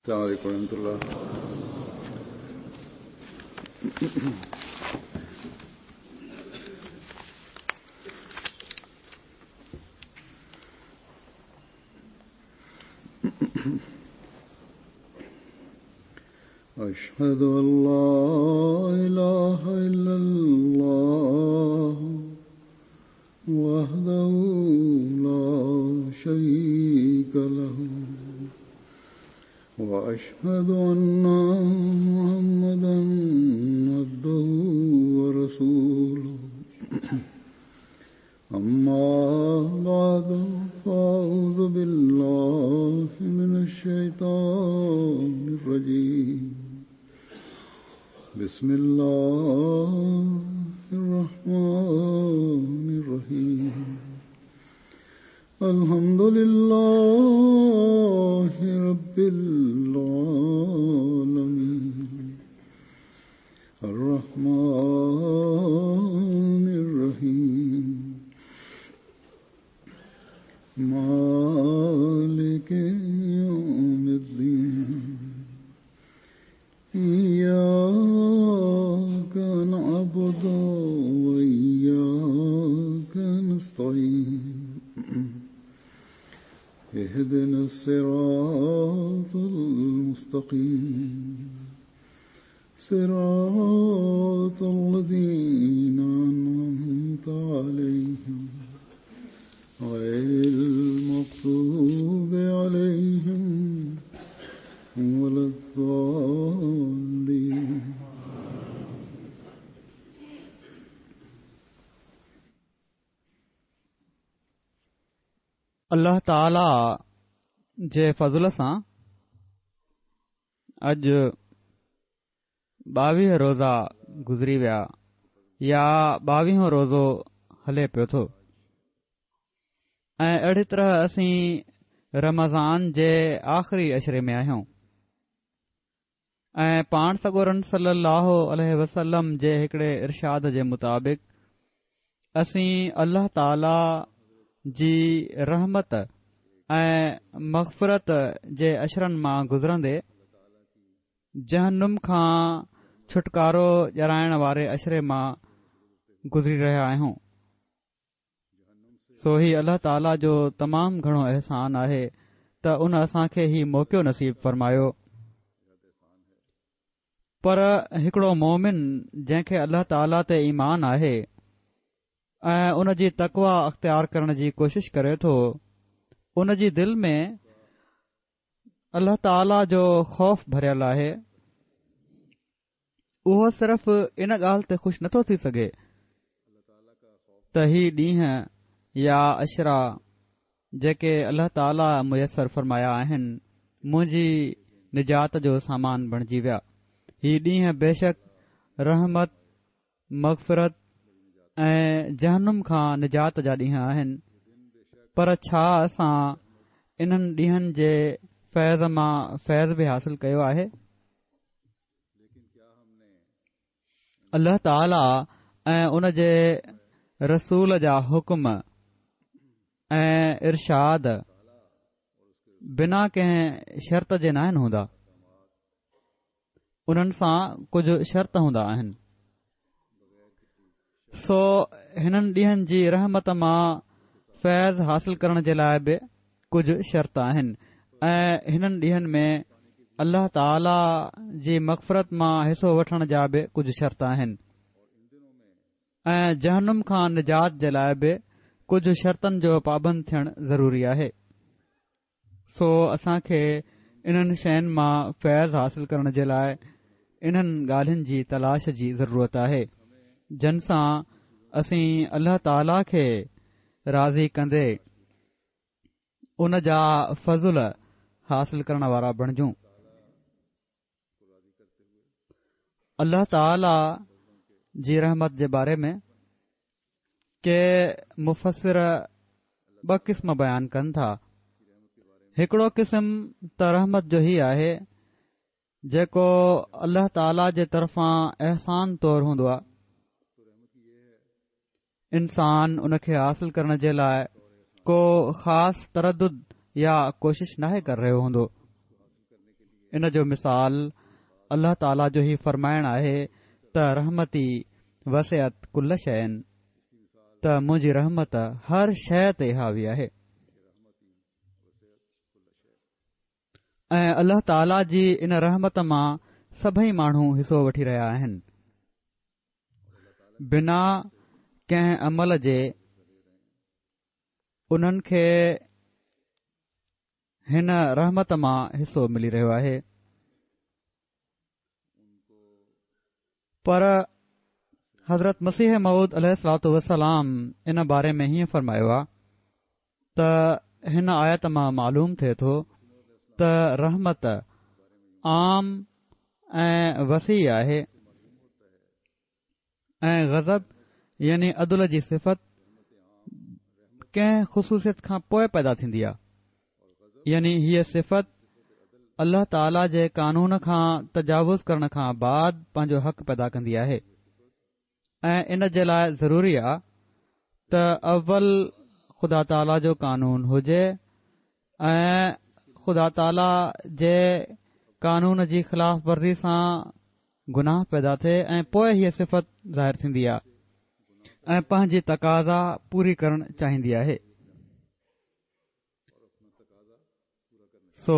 السلام عليڪم ورحمة الله. أشهد أن لا إله إلا الله وحده لا شريك له وأشهد أن محمدا عبده ورسوله أما بعد فأعوذ بالله من الشيطان الرجيم بسم الله الرحمن الرحيم الحمد لله رب العالمين الرحمن الرحيم مالك يوم الدين إياك نعبد وإياك نستعين اهدنا الصراط المستقيم صراط الذين أنعمت عليهم غير المغضوب عليهم ولا الضالين. الله تعاليٰ جي فضل سان اڄ ٻاويهه روزا گذري ويا يا ٻاويهون روزو هلي پيو ٿو ۽ اهڙي طرح اسين رمضان جي آخري عشري ۾ آهيون ۽ پاڻ سڳورن صلي الله عليه وسلم جي هڪڙي ارشاد جي مطابق اسين الله تعالي جي رحمت ۽ مغفرت جي عشرن مان گذرندي جهنم کان ڇوٽڪارو ڏيارائڻ واري عشري مان گذري رهيا آهيون. سو هي الله تعاليٰ جو تمام گهڻو احسان آهي ته ان اسان کي هي موقعو نصيب فرمايو. پر هڪڙو مومن جنهن کي الله تعاليٰ تي ايمان آهي ۽ ان جي تقويٰ اختيار ڪرڻ جي ڪوشش ڪري ٿو، ان جي دل ۾ الله تعاليٰ جو خوف ڀريل آهي اهو صرف ان ڳالهه تي خوش نٿو ٿي سگهي ته هي ڏينهن يا عشرا جيڪي الله تعاليٰ ميسر فرمايا آهن منهنجي نجات جو سامان بڻجي ويا هي ڏينهن بيشڪ رحمت مغفرت ۽ جهنم کان نجات جا ڏينهن آهن پر ڇا اسان انهن ڏينهن جي فيض مان فيض به حاصل ڪيو آهي؟ الله تعاليٰ ۽ ان جي رسول جا حڪم ۽ ارشاد بنا ڪنهن شرط جي ناهن هوندا. انهن سان ڪجهه شرط هوندا آهن. سو هنن ڏينهن جي رحمت مان فيض حاصل ڪرڻ جي لاء به ڪجهه شرط آهن ۽ هنن ڏينهن ۾ الله تعاليٰ جي مغفرت مان حصو وٺڻ جا به ڪجهه شرط آهن ۽ جهنم کان نجات جي لاء به ڪجهه شرطن جو پابند ٿيڻ ضروري آهي. سو اسان کي انهن شين مان فيض حاصل ڪرڻ جي لاء انهن ڳالهين جي تلاش جي ضرورت آهي جن سان اسين الله تعاليٰ کي راضي ڪندي ان جا فضل حاصل ڪرڻ وارا بڻجون. الله تعاليٰ جي رحمت جي باري ۾ ڪي مفسر ٻه قسم بيان ڪن ٿا هڪڙو قسم ته رحمت جو هي آهي جيڪو الله تعاليٰ جي طرفان احسان طور هوندو آهي انسان ان کي حاصل ڪرڻ جي لاء ڪو خاص تردد يا ڪوشش ناهي ڪري رهيو هوندو. ان جو مثال الله تعاليٰ جو هي فرمائڻ آهي ته رحمتي وسعت ڪل شيء ته منهنجي رحمت هر شيء تي حاوي آهي. ۽ الله تعاليٰ جي ان رحمت مان سڀئي ماڻهو حصو وٺي رهيا آهن. بنا ڪنهن عمل جي انهن کي هن رحمت مان حصو ملي رهيو آهي پر حضرت مسيح موعود عليه الصلوة والسلام ان باري ۾ هيئن فرمايو آ ته هن آيت مان معلوم ٿئي ٿو ته رحمت عام ۽ وسيع آهي ۽ غضب يعني عدل جي صفت ڪنهن خصوصيت کان پوء پيدا ٿيندي آهي يعني هيء صفت الله تعاليٰ جي قانون کان تجاوز ڪرڻ کان بعد پنهنجو حق پيدا ڪندي آهي ۽ ان جي لاء ضروري آهي ته اول خدا تعاليٰ جو قانون هجي ۽ خدا تعاليٰ جي قانون جي خلاف ورزي سان گناهه پيدا ٿئي ۽ پوء هيء صفت ظاهر ٿيندي آهي ۽ پنهنجي تقاضا پوري ڪرڻ چاهيندي آهي. سو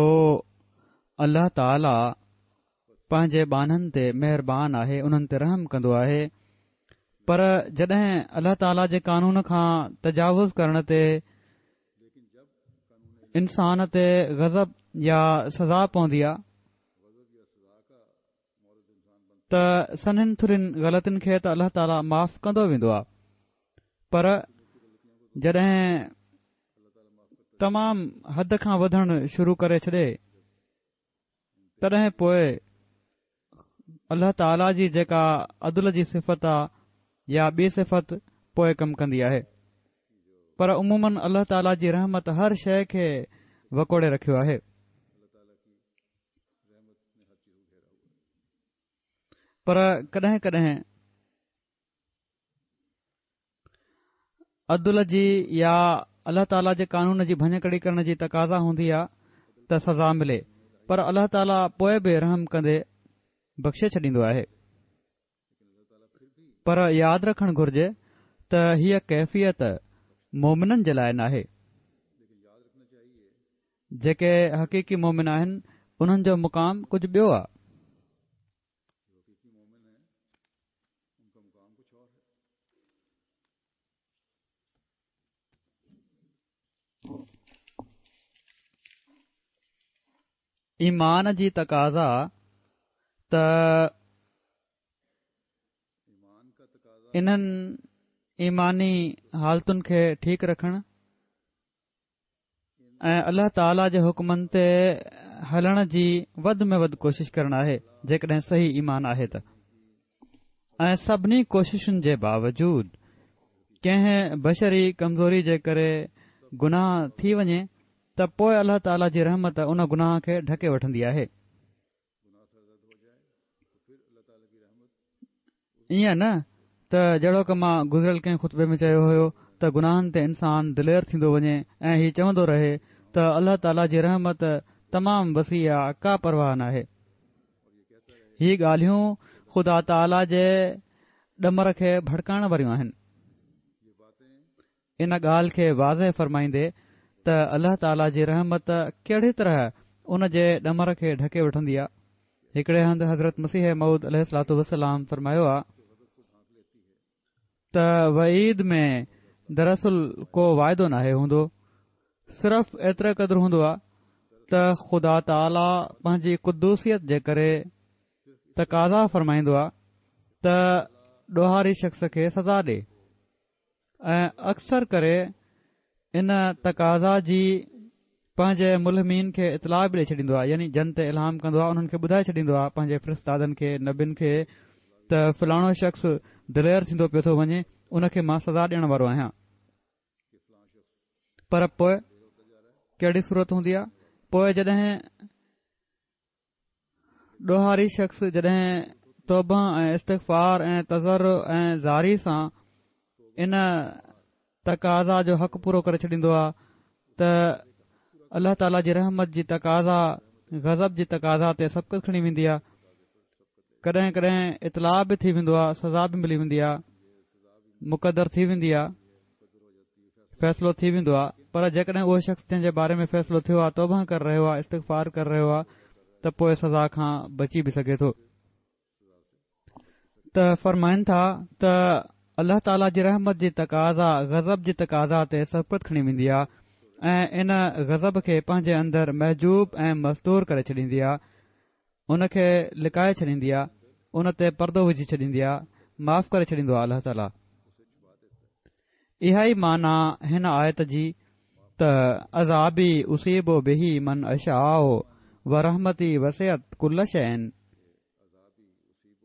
الله تعاليٰ پنهنجي ٻانهن تي مهربان آهي انهن تي رحم ڪندو آهي پر جڏهن الله تعاليٰ جي قانون کان تجاوز ڪرڻ تي انسان تي غضب يا سزا پوندي آهي ته سنهن ٿرين غلطين کي ته الله تعاليٰ معاف ڪندو ويندو آهي پر جڏهن تمام حد کان وڌڻ شروع ڪري ڇڏي تڏهن پوء الله تعاليٰ جي جيڪا عدل جي صفت آ يا ٻي صفت پوء ڪم ڪندي آهي پر عموماً الله تعاليٰ جي رحمت هر شيء کي وڪوڙي رکيو آهي. پر ڪڏهن ڪڏهن عدل جي يا الله تعاليٰ جي قانون جي ڀڃڪڙي ڪرڻ جي تقاضا هوندي آهي ته سزا ملي پر الله تعاليٰ پوء به رحم ڪندي بخشي ڇڏيندو آهي پر ياد رکڻ گهرجي ته هيء ڪيفيت مومنن جي لاء ناهي. جيڪي حقيقي مومن آهن انهن جو مقام ڪجهه ٻيو آهي. ايمان جي تقاضا ته انهن ايماني حالتن کي ٺيڪ رکڻ ۽ الله تعاليٰ جي حڪمن تي هلڻ جي وڌ ۾ وڌ ڪوشش ڪرڻ آهي جيڪڏهن صحيح ايمان آهي ته ۽ سڀني ڪوششن جي باوجود ڪنهن بشري ڪمزوري جي ڪري گناهه ٿي وڃي ته پوء الله تعاليٰ جي رحمت ان گناهه کي ڍڪي وٺندي آهي ائين نه ته جهڙوڪ مان گذريل ڪنهن خطبي ۾ چيو هيو ته گناهن تي انسان دلير ٿيندو وڃي ۽ هي چوندو رهي ته الله تعاليٰ جي رحمت تمام وسيع آ ڪا پرواهه ناهي. هي ڳالهيون خدا تعاليٰ جي ڏمر کي ڀڙڪائڻ واريون آهن. ان ڳالهه کي واضح فرمائيندي ته الله تعاليٰ جي رحمت ڪهڙي طرح ان جي ڏمر کي ڍڪي وٺندي آ. هڪڙي هنڌ حضرت مسيح موعود عليه الصلوة والسلام فرمايو آ ته وعيد ۾ دراصل ڪو واعدو ناهي هوندو صرف ايتري قدر هوندو آ ته خدا تعاليٰ پنهنجي قدوسيت جي ڪري تقاضا فرمائيندو آ ته ڏوهاري شخص کي سزا ڏي. ۽ اڪثر ڪري ان تقاضا جي پنهنجي ملهمين کي اطلاع به ڏئي ڇڏيندو آهي يعني جن تي الهام ڪندو آهي انهن کي ٻڌائي ڇڏيندو آهي پنهنجي فرستادن کي نبين کي ته فلاڻو شخص دلير ٿيندو پيو ٿو وڃي ان کي مان سزا ڏيڻ وارو آهيان پر پوء ڪهڙي صورت هوندي آهي پوء جڏهن ڏوهاري شخص جڏهن توبه ۽ استغفار ۽ تضرع ۽ زاري سان ان تقاضا جو حق پورو ڪري ڇڏيندو آهي ته الله تعاليٰ جي رحمت جي تقاضا غضب جي تقاضا تي سبقت کڻي ويندي آهي. ڪڏهن ڪڏهن اطلاع به ٿي ويندو آهي، سزا به ملي ويندي آهي، مقدر ٿي ويندي آهي، فيصلو ٿي ويندو آهي، پر جيڪڏهن اهو شخص جنهن جي باري ۾ فيصلو ٿيو آهي توبه ڪري رهيو آهي، استغفار ڪري رهيو آهي ته پوء سزا کان بچي به سگهي ٿو. ته فرمائن ٿا ته الله تعاليٰ جي رحمت جي تقاضا غضب جي تقاضا تي سبقت کڻي ويندي آهي ۽ ان غضب کي پنهنجي اندر محجوب ۽ مستور ڪري ڇڏيندي آهي، ان کي لڪائي ڇڏيندي آهي، ان تي پردو وجهي ڇڏيندي آهي، معاف ڪري ڇڏيندو آهي الله تعاليٰ. اها ئي معنيٰ هن آيت جي ته عذابي اصيب به من اشاء ورحمتي وسعت ڪل شيء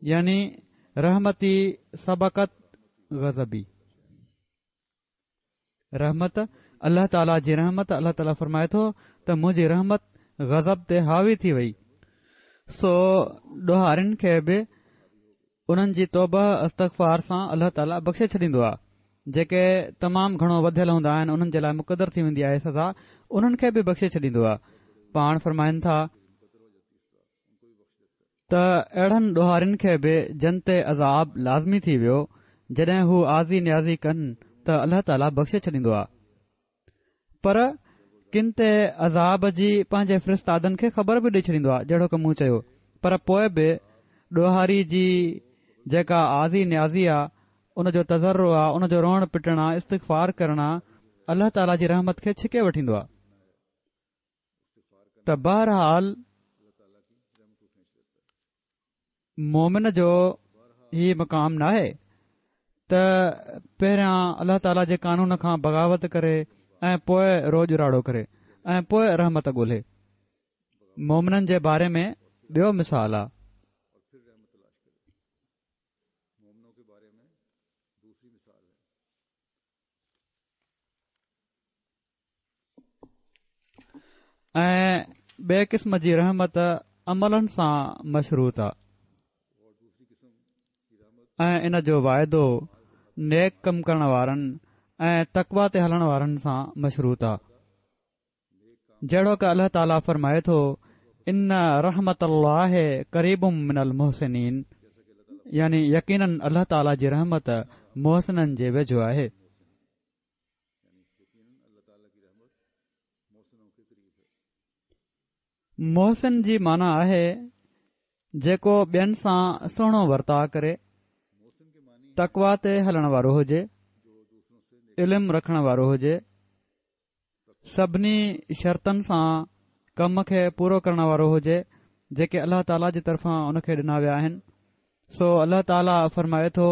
يعني رحمتي سبقت غضبي. رحمت، الله تعاليٰ جي رحمت، الله تعاليٰ فرمائي ٿو ته منهنجي رحمت غضب تي حاوي ٿي وئي، سو ڏوهارين کي به انهن جي توبه استغفار سان الله تعاليٰ بخشي ڇڏيندو آهي، جيڪي تمام گهڻو وڌيل هوندا آهن انهن جي لاء مقدر ٿي ويندي آهي سزا، انهن کي به بخشي ڇڏيندو آهي. پاڻ فرمائن ٿا. ته اهڙن ڏوهارين کي به جن تي عذاب لازمي ٿي ويو، جڏهن هو آزي نيازي ڪن ته الله تعاليٰ بخشي ڇڏيندو آهي. پر ڪن تي عذاب جي پنهنجي فرستادن کي خبر به ڏئي ڇڏيندو آهي جهڙوڪ مون چيو، پر پوء به ڏوهاري جي جيڪا آزي نيازي آهي، ان جو تضرع آهي، ان جو روئڻ پٽڻ آهي، استغفار ڪرڻ آهي، الله تعاليٰ جي رحمت کي ڇڪي وٺيندو آهي. ته بهرحال مومن جو هي مقام ناهي ته پهريان الله تعاليٰ جي قانون کان بغاوت ڪري ۽ پوء روڄ راڙو ڪري ۽ پوء رحمت ڳولهي. مومنن جي باري ۾ ٻيو مثال آ. ۽ ٻئي قسم جي رحمت عملن سان مشروط آ ۽ ان جو واعدو نيڪ ڪم ڪرڻ وارن ۽ تقوا تي هلڻ وارن سان مشروط آ جهڙوڪ الله تعاليٰ فرمائي ٿو ان رحمت الله قريب من المحسنين يعني يقيناً الله تعاليٰ جي رحمت محسنن جي ويجهو آهي. محسن جي معنيٰ آهي جيڪو ٻين سان سهڻو ورتاء ڪري، تقوا تي هلڻ وارو هجي، علم رکڻ وارو هجي، سڀني شرطن سان ڪم کي پورو ڪرڻ وارو هجي جيڪي الله تعاليٰ جي طرفان ان کي ڏنا ويا آهن سو الله تعاليٰ فرمائي ٿو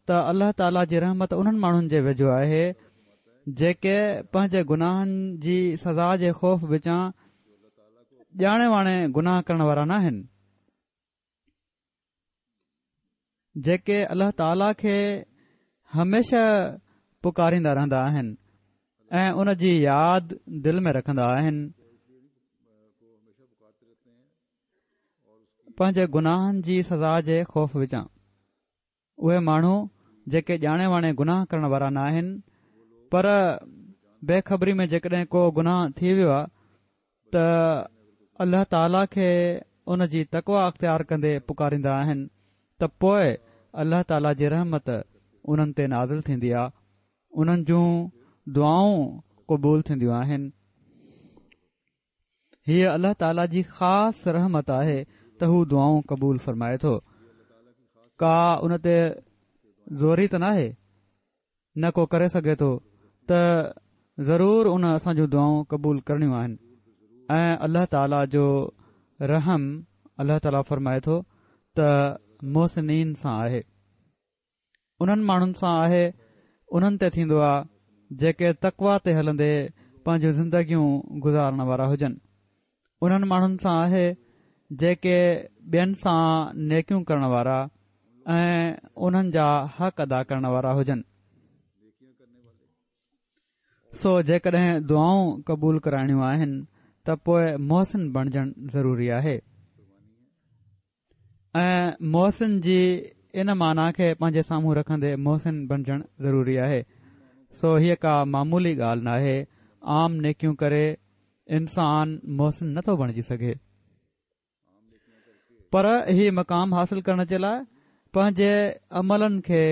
ته الله تعاليٰ جي رحمت انهن ماڻهن جي ويجهو آهي جيڪي پنهنجي گناهن جي سزا جي خوف وچان ڄاڻي واڻي گناهه ڪرڻ وارا ناهن جيڪي الله تعاليٰ کي هميشه پڪاريندا رهندا آهن ۽ ان جي ياد دل ۾ رکندا آهن پنهنجي گناهن جي سزا جي خوف وچان اهي ماڻهو جيڪي ڄاڻي واڻي گناهه ڪرڻ وارا نه آهن پر بي خبري ۾ جيڪڏهن ڪو گناهه ٿي ويو آهي ته الله تعاليٰ کي ان جي تقويٰ اختيار ڪندي پڪاريندا آهن ته پوء الله تعاليٰ جي رحمت انهن تي نازل ٿيندي آهي، انهن جون دعائون قبول ٿينديون آهن. هيء الله تعاليٰ جي خاص رحمت آهي ته هو دعائون قبول فرمائي ٿو. ڪا ان تي زوري ته ناهي. نه ڪو ڪري سگهي ٿو ته ضرور ان اسان جون دعائون قبول ڪرڻيون آهن ۽ الله تعاليٰ جو رحم الله تعاليٰ فرمائي ٿو ته محسنين سان آهي انهن ماڻهن سان آهي انهن تي ٿيندو آهي جيڪي تقوا تي هلندي پنهنجون زندگيون گذارڻ وارا هجن انهن ماڻهن سان آهي جيڪي ٻين سان نيڪيون ڪرڻ وارا ۽ انهن جا حق ادا ڪرڻ وارا هجن. سو جيڪڏهن دعائون قبول ڪرائڻيون آهن ته پوء محسن بڻجڻ ضروري آهي. ۽ محسن جي ان معنيٰ کي پنهنجي سامهون رکندي محسن بڻجڻ ضروري آهي. سو هيء ڪا معمولي ڳالهه ناهي، عام نيڪيون ڪري انسان محسن نٿو بڻجي سگهي. پر هي مقام حاصل ڪرڻ جي لاء پنهنجي عملن کي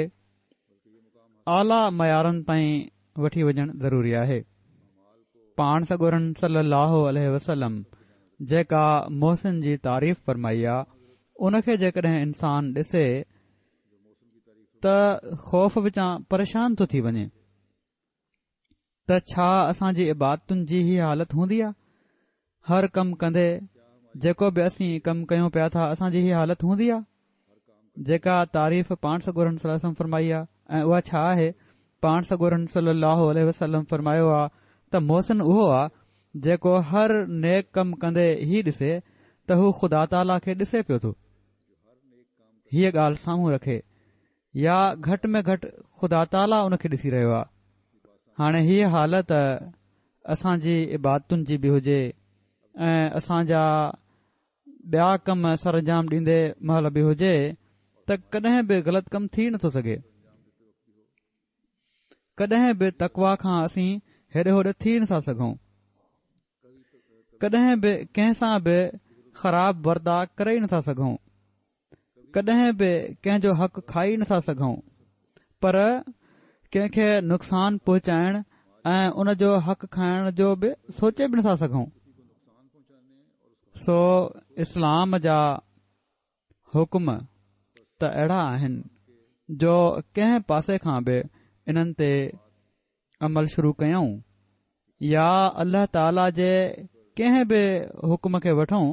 اعليٰ معيارن تائين وٺي وڃڻ ضروري آهي. پاڻ سڳورن صلي الله عليه وسلم جيڪا محسن جي تعريف فرمائي آ، ان کي جيڪڏهن انسان ڏسي ته خوف وچان پريشان ٿو ٿي وڃي. ته ڇا اسان جي عبادتن جي هي حالت هوندي آ؟ هر ڪم ڪندي جيڪو به اسين ڪم ڪيون پيا ٿا اسان جي هي حالت هوندي آ؟ جيڪا تعريف پاڻ سڳورن صلي الله عليه وسلم فرمائي آ ۽ اها ڇا آهي؟ پاڻ سڳورن صلي الله عليه وسلم فرمايو آ ته محسن اهو آ جيڪو هر نيڪ ڪم ڪندي هي ڏسي ته هو خدا تعاليٰ کي ڏسي پيو ٿو. هيء ڳالهه سامهون رکي يا گهٽ ۾ گهٽ خدا تعاليٰ ان کي ڏسي رهيو آهي. هاڻي هيء حالت اسان جي عبادتن جي به هجي ۽ اسان جا ٻيا ڪم سرانجام ڏيندي مهل به هجي ته ڪڏهن به غلط ڪم ٿي نٿو سگهي. ڪڏهن به تقويٰ کان اسين هيڏي هوڏي ٿي نٿا سگهون. ڪڏهن به ڪنهن سان به خراب ورتاء ڪري ئي نٿا سگهون. ڪڏهن به ڪنهن جو حق کائي نٿا سگهون پر ڪنهن کي نقصان پهچائڻ ۽ ان جو حق کائڻ جو به سوچي به نٿا سگهون. سو اسلام جا حڪم ته اهڙا آهن جو ڪنهن پاسي کان به انهن تي عمل شروع ڪيون يا الله تعاليٰ جي ڪنهن به حڪم کي وٺون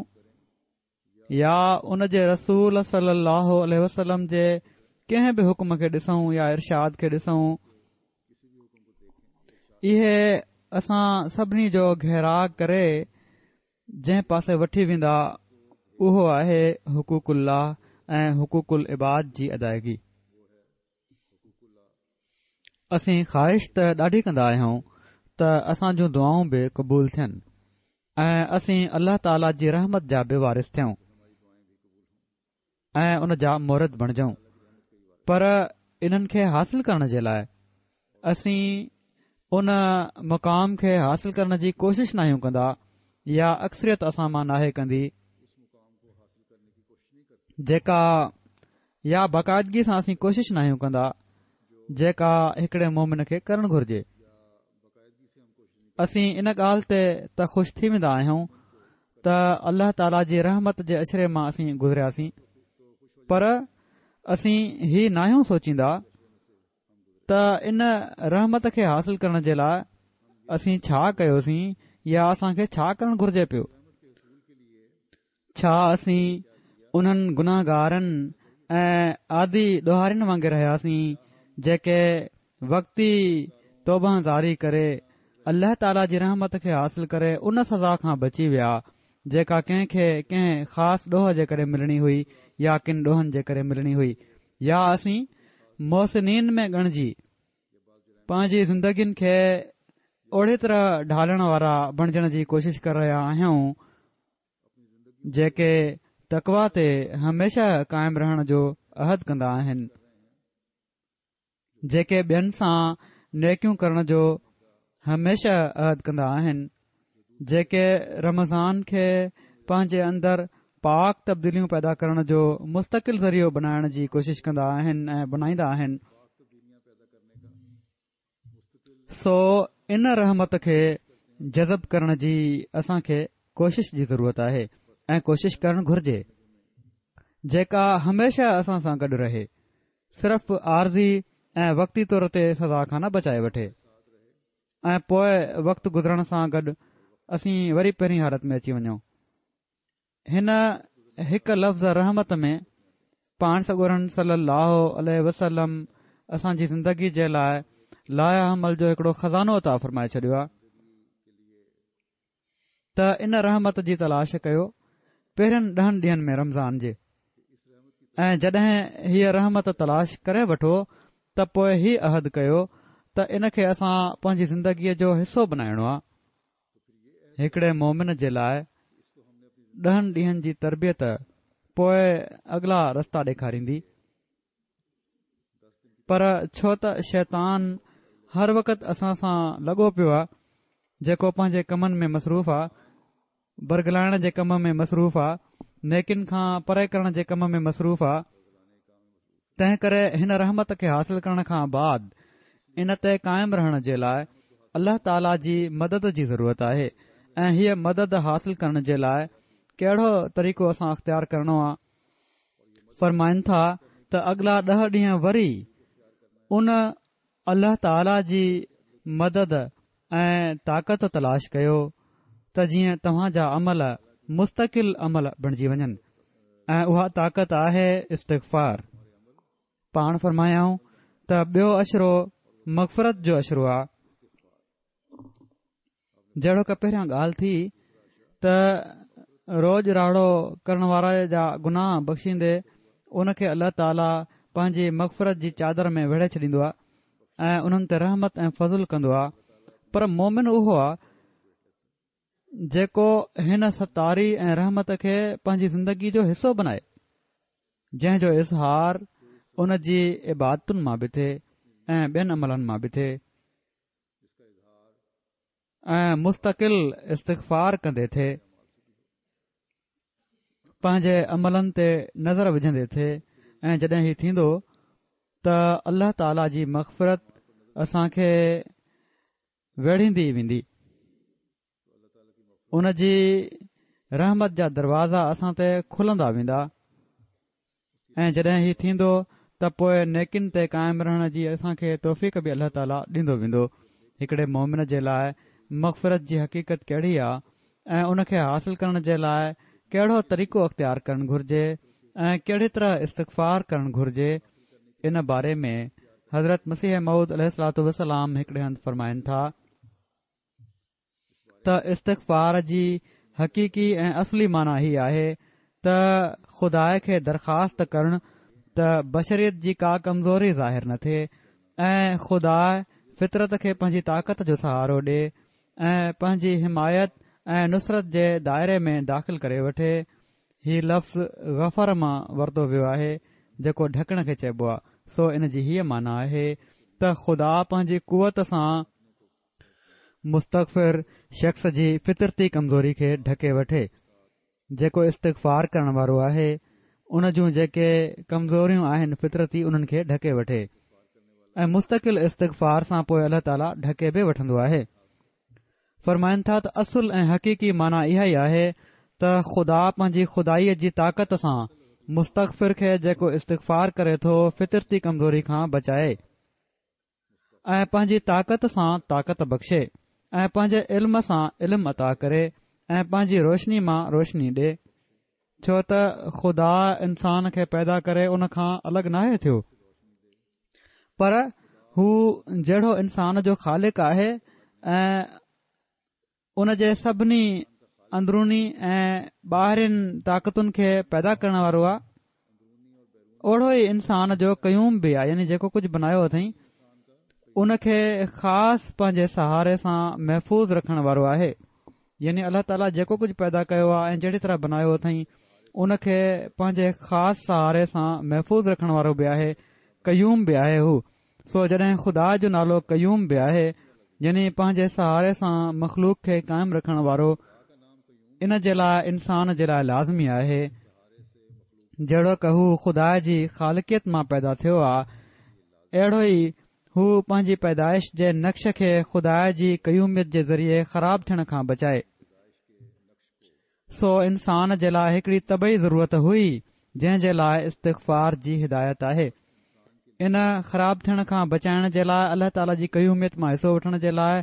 يا ان جي رسول صلي الله عليه وسلم جي ڪنهن به حڪم کي ڏسون يا ارشاد کي ڏسون اهي اسان سڀني جو گهيراء ڪري جنهن پاسي وٺي ويندا اهو آهي حقوق الله ۽ حقوق العباد جي ادائگي اسين خواهش ته ڏاڍي ڪندا آهيون ته اسان جون دعائون به قبول ٿين ۽ اسين الله تعاليٰ جي رحمت جا به وارث ٿيون ۽ ان جا مورد بڻجون پر انهن کي حاصل ڪرڻ جي لاء اسين ان مقام کي حاصل ڪرڻ جي ڪوشش ناهيون ڪندا يا اڪثريت اسان مان ناهي ڪندي جيڪا يا باقاعدگي سان اسين ڪوشش ناهيون ڪندا جيڪا هڪڙي مومن کي ڪرڻ گهرجي. اسين ان ڳالهه تي ته خوش ٿي ويندا آهيون ته الله تعاليٰ جي رحمت جي عشري مان اسين گذرياسين پر اسين هي ناهيون سوچيندا ته ان رحمت کي حاصل ڪرڻ جي لاء اسين ڇا ڪيوسين يا اسان کي ڇا ڪرڻ گهرجي پيو. ڇا اسين انهن گناهگارن ۽ عادي ڏوهارين وانگر رهياسين جيڪي وقتي توبه زاري ڪري الله تعاليٰ جي رحمت کي حاصل ڪري ان سزا کان بچي ويا جيڪا ڪنهن کي ڪنهن خاص ڏوهه جي ڪري ملڻي هئي يا ڪن ڏوهن جي ڪري ملڻي هئي يا اسين محسنين ۾ ڳڻجي پنهنجي زندگين کي اهڙي طرح ڍالڻ وارا بڻجڻ جي ڪوشش ڪري رهيا آهيون جيڪي تقويٰ تي هميشه قائم رهڻ جو عهد ڪندا آهن جيڪي ٻين سان نيڪيون ڪرڻ جو هميشه عهد ڪندا آهن جيڪي رمضان کي پنهنجي اندر پاڪ تبديليون پيدا ڪرڻ جو مستقل ذريعو بنائڻ جي ڪوشش ڪندا آهن ۽ بنائيندا آهن سو ان رحمت کي جذب ڪرڻ جي اسان کي ڪوشش جي ضرورت آهي ۽ ڪوشش ڪرڻ گهرجي جيڪا هميشه اسان سان گڏ رهي صرف عارضي ۽ وقتي طور تي سزا کان نه بچائي وٺي ۽ پوء وقت گذرڻ سان گڏ اسين وري پهرين حالت ۾ اچي وڃون هن هڪ لفظ رحمت ۾ پاڻ سڳورن صلي الله عليه وسلم اسان جي زندگي جي لاء لائحه عمل جو هڪڙو خزانو عطا فرمائي ڇڏيو آهي ته ان رحمت جي تلاش ڪيو پهرين ڏهن ڏينهن ۾ رمضان جي ۽ جڏهن هيء رحمت تلاش ڪري وٺو ته پوء هي عهد ڪيو ته ان کي اسان پنهنجي زندگيء جو حصو بنائڻو آهي هڪڙي مومن جي لاء ڏهن ڏينهن جي تربيت پوء اڳلا رستا ڏيکاريندي پر ڇو ته شيطان هر وقت اسان سان لڳو پيو آهي جيڪو پنهنجي ڪمن ۾ مصروف آهي برغلائڻ جي ڪم ۾ مصروف آهي نيڪين کان پري ڪرڻ جي ڪم ۾ مصروف آ. تنهن ڪري هن رحمت کي حاصل ڪرڻ کان بعد ان تي قائم رهڻ جي لاء الله تعاليٰ جي مدد جي ضرورت آهي ۽ هيء مدد حاصل ڪرڻ جي لاء ڪهڙو طريقو اسان اختيار ڪرڻو آ؟ فرمائن ٿا ته اڳلا ڏهه ڏينهن وري ان الله تعاليٰ جي مدد ۽ طاقت تلاش ڪيو ته جيئن توهان جا عمل مستقل عمل بڻجي وڃن ۽ اها طاقت آهي استغفار. پاڻ فرمايائون ته ٻيو عشرو مغفرت جو عشرو آ. جهڙوڪ پهريان ڳالهه ٿي ته روڄ راڙو ڪرڻ واري جا گناهه بخشيندي ان کي الله تعاليٰ پنهنجي مغفرت جي چادر ۾ ويڙهي ڇڏيندو آهي ۽ انهن تي رحمت ۽ فضل ڪندو آهي پر مومن اهو آهي جيڪو هن ستاري ۽ رحمت کي پنهنجي زندگي جو حصو بنائي جنهن جو اظهار ان جي عبادتن مان به ٿئي ۽ ٻين عملن مان به ٿئي ۽ مستقل استغفار ڪندي ٿئي، پنهنجي عملن تي نظر وجهندي ٿئي ۽ جڏهن هي ٿيندو ته الله تعاليٰ جي مغفرت اسان کي ويڙهيندي ويندي. ان جي رحمت جا دروازا اسان تي کلندا ويندا ۽ جڏهن هي ٿيندو ته پوء نيڪين تي قائم رهڻ جي اسان کي توفيق به الله تعاليٰ ڏيندو ويندو. هڪڙي مومن جي لاء مغفرت جي حقيقت ڪهڙي آ ۽ ان کي حاصل ڪرڻ جي لاء ڪهڙو طريقو اختيار ڪرڻ گهرجي ۽ ڪهڙي طرح استغفار ڪرڻ گهرجي ان باري ۾ حضرت مسيح موعود عليه الصلوة والسلام هڪڙي هنڌ فرمائن ٿا. ته استغفار جي حقيقي ۽ اصلي معنيٰ هي آهي ته خدا کي درخواست ڪرڻ ته بشريت جي ڪا ڪمزوري ظاهر نه ٿئي ۽ خدا فطرت کي پنهنجي طاقت جو سهارو ڏي ۽ پنهنجي حمايت ۽ نصرت جي دائري ۾ داخل ڪري وٺي. هي لفظ غفر مان ورتو ويو آهي جيڪو ڍڪڻ کي چئبو آهي سو ان جي هيء معنيٰ آهي ته خدا پنهنجي قوت سان مستغفر شخص جي فطرتي ڪمزوري کي ڍڪي وٺي. جيڪو استغفار ڪرڻ وارو آهي، ان جون جيڪي ڪمزوريون آهن فطرتي انهن کي ڍڪي وٺي ۽ مستقل استغفار سان پوء الله تعاليٰ ڍڪي به وٺندو آهي. فرمائن ٿا ته اصل ۽ حقيقي معنيٰ اها ئي آهي ته خدا پنهنجي خدائيء جي طاقت سان مستغفر کي جيڪو استغفار ڪري ٿو فطرتي ڪمزوري کان بچائي. ۽ پنهنجي طاقت سان طاقت بخشي ۽ پنهنجي علم سان علم عطا ڪري ۽ پنهنجي روشني مان روشني ڏي ڇو ته خدا انسان کي پيدا ڪري ان کان الڳ ناهي ٿيو پر هو جهڙو انسان جو خالق آهي ۽ ان جي سڀني اندروني ۽ ٻاهرين طاقتن کي پيدا ڪرڻ وارو آهي اوڙو ئي انسان جو قيوم به آهي يعني جيڪو ڪجهه بنايو اٿئي ان کي خاص پنهنجي سهاري سان محفوظ رکڻ وارو آهي يعني الله تعاليٰ جيڪو ڪجهه پيدا ڪيو آهي ۽ جهڙي طرح بنايو اٿئي ان کي پنهنجي خاص سهاري سان محفوظ رکڻ وارو به آهي قيوم به آهي هو سو جڏهن خدا جو نالو قيوم به آهي يعني پنهنجي سهاري سان مخلوق کي قائم رکڻ وارو ان جي لاء انسان جي لاء لازمي آهي جهڙوڪ هو خدا جي خالقيت مان پيدا ٿيو آ اهڙو ئي هو پنهنجي پيدائش جي نقش کي خدا جي قيوميت جي ذريعي خراب ٿيڻ کان بچائي. سو انسان جي لاء هڪڙي طبعي ضرورت هئي جنهن جي لاء استغفار جي هدايت آهي. ان خراب ٿيڻ کان بچائڻ جي لاء الله تعاليٰ جي قيوميت مان حصو وٺڻ جي لاء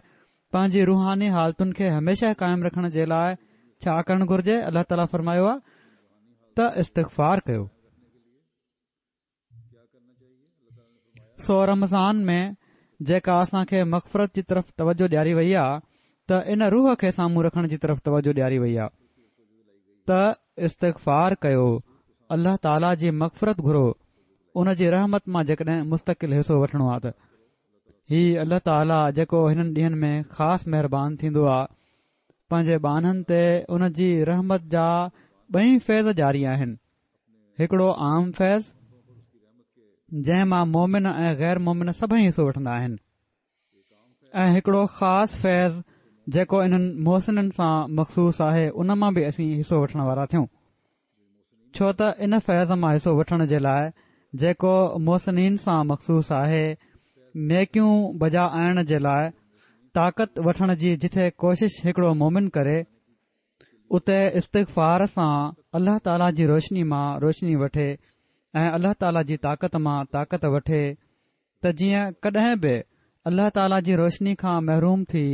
پنهنجي روحاني حالتن کي هميشه قائم رکڻ جي لاء ڇا ڪرڻ گهرجي الله تعاليٰ فرمايو آهي ته استغفار ڪيو. سو رمضان ۾ جيڪا اسان کي مغفرت جي طرف توجه ڏياري وئي آ ته ان روح کي سامهون رکڻ جي طرف توجه ڏياري وئي آ ته استغفار ڪيو الله تعاليٰ جي مغفرت گهرو ان جي رحمت مان جيڪڏهن مستقل حصو وٺڻو آ ته هي الله تعاليٰ جيڪو هنن ڏينهن ۾ خاص مهربان ٿيندو آ پنهنجي ٻانهن تي ان جي رحمت جا ٻئي فيض جاري آهن هڪڙو عام فيض جنهن مان مومن ۽ غير مومن سڀئي حصو وٺندا آهن ۽ هڪڙو خاص فيض جيڪو انهن محسنن سان مخصوص آهي ان مان به اسين حصو وٺڻ وارا ٿيون. ڇو ته ان فيض مان حصو وٺڻ جي لاء جيڪو محسنين سان مخصوص آهي، نيڪيون بجا آڻڻ جي لاء طاقت وٺڻ جي جٿي ڪوشش هڪڙو مومن ڪري، اتي استغفار سان الله تعاليٰ جي روشني مان روشني وٺي ۽ الله تعاليٰ جي طاقت مان طاقت وٺي ته جيئن ڪڏهن به الله تعاليٰ جي روشني کان محروم ٿي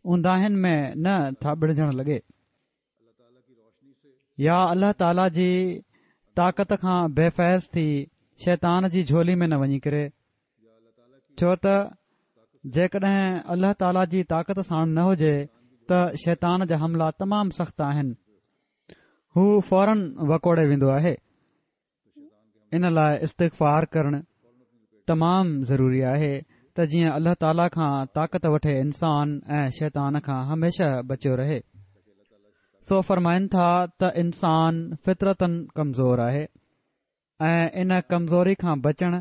اونداهين ۾ نه ٿاٻڙجڻ لڳي. يا الله تعاليٰ جي طاقت کان بي فيض ٿي شيطان جي جهولي ۾ نه وڃي ڪري ڇو ته جيڪڏهن الله تعاليٰ جي طاقت ساڻ نه هجي ته شيطان جا حملا تمام سخت آهن هو فورن وڪوڙي ويندو آهي ان لاء استغفار ڪرڻ تمام ضروري آهي ته جيئن الله تعاليٰ کان طاقت وٺي انسان ۽ شيطان کان هميشه بچيو رهي. سو فرمائن ٿا ته انسان فطرتاً ڪمزور آهي ۽ ان ڪمزوري کان بچڻ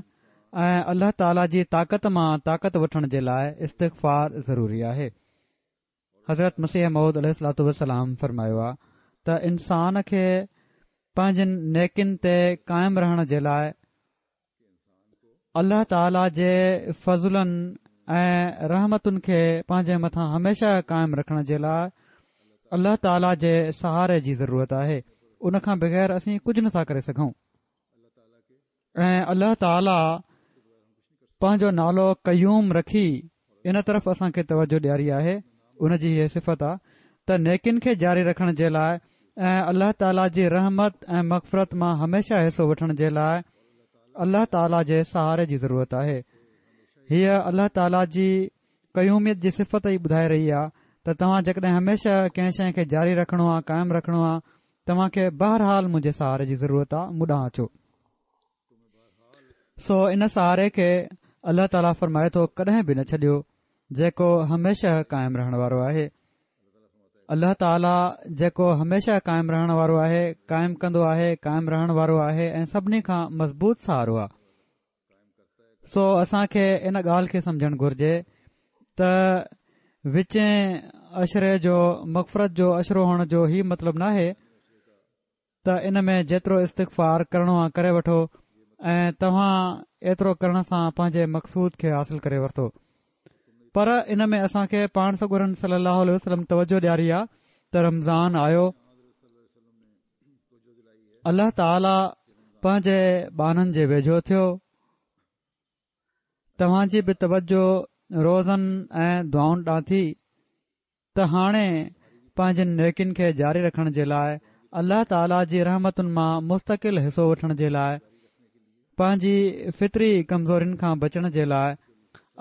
۽ الله تعاليٰ جي طاقت مان طاقت وٺڻ جي لاء استغفار ضروري آهي. حضرت مسيح موعود عليه الصلوة والسلام فرمايو آ ته انسان کي پنهنجن نيڪين تي قائم رهڻ جي لاء الله تعاليٰ جي فضلن ۽ رحمتن کي پنهنجي مٿان هميشه قائم رکڻ جي لاء الله تعاليٰ جي سهاري جي ضرورت آهي ان کان بغير اسين ڪجهه نٿا ڪري سگهون ۽ الله تعاليٰ پنهنجو نالو قيوم رکي ان طرف اسان کي توجه ڏياري آهي ان جي هيء صفت آ ته نيڪين کي جاري رکڻ جي لاء ۽ الله تعاليٰ جي رحمت ۽ مغفرت مان هميشه حصو وٺڻ جي لاء الله تعاليٰ جي سهاري جي ضرورت آهي هيء الله تعاليٰ جي قيوميت جي صفت ئي ٻڌائي رهي آ ته توهان جيڪڏهن هميشه ڪنهن شيء کي جاري رکڻو آ قائم رکڻو آ توهان کي بهرحال منهنجي سهاري جي ضرورت آ مون ڏانهن اچو. سو ان سهاري کي الله تعاليٰ فرمائي ٿو ڪڏهن به نه ڇڏيو جيڪو هميشه قائم رهڻ وارو آهي. الله تعاليٰ جيڪو هميشه قائم رهڻ وارو آهي، قائم ڪندو آهي، قائم رهڻ وارو آهي ۽ سڀني کان مضبوط سهارو آ. سو اسان کي ان ڳالهه کي سمجهڻ گهرجي ته وچين عشري جو مغفرت جو عشرو هئڻ جو هي مطلب ناهي ته ان ۾ جيترو استغفار ڪرڻو آ ڪري وٺو ۽ توهان ايترو ڪرڻ سان پنهنجي مقصود کي حاصل ڪري ورتو پر ان ۾ اسان کي پاڻ سڳورن صلي الله عليه وسلم توجه ڏياري آ ته رمضان آيو الله تعاليٰ پنهنجي ٻانهن جي ويجهو ٿيو توهان جي به توجه روزن ۽ دعائن ڏانهن ٿي ته هاڻي پنهنجن نيڪين کي جاري رکڻ جي لاء الله تعاليٰ جي رحمتن مان مستقل حصو وٺڻ جي لاء پنهنجي فطري ڪمزورين کان بچڻ جي لاء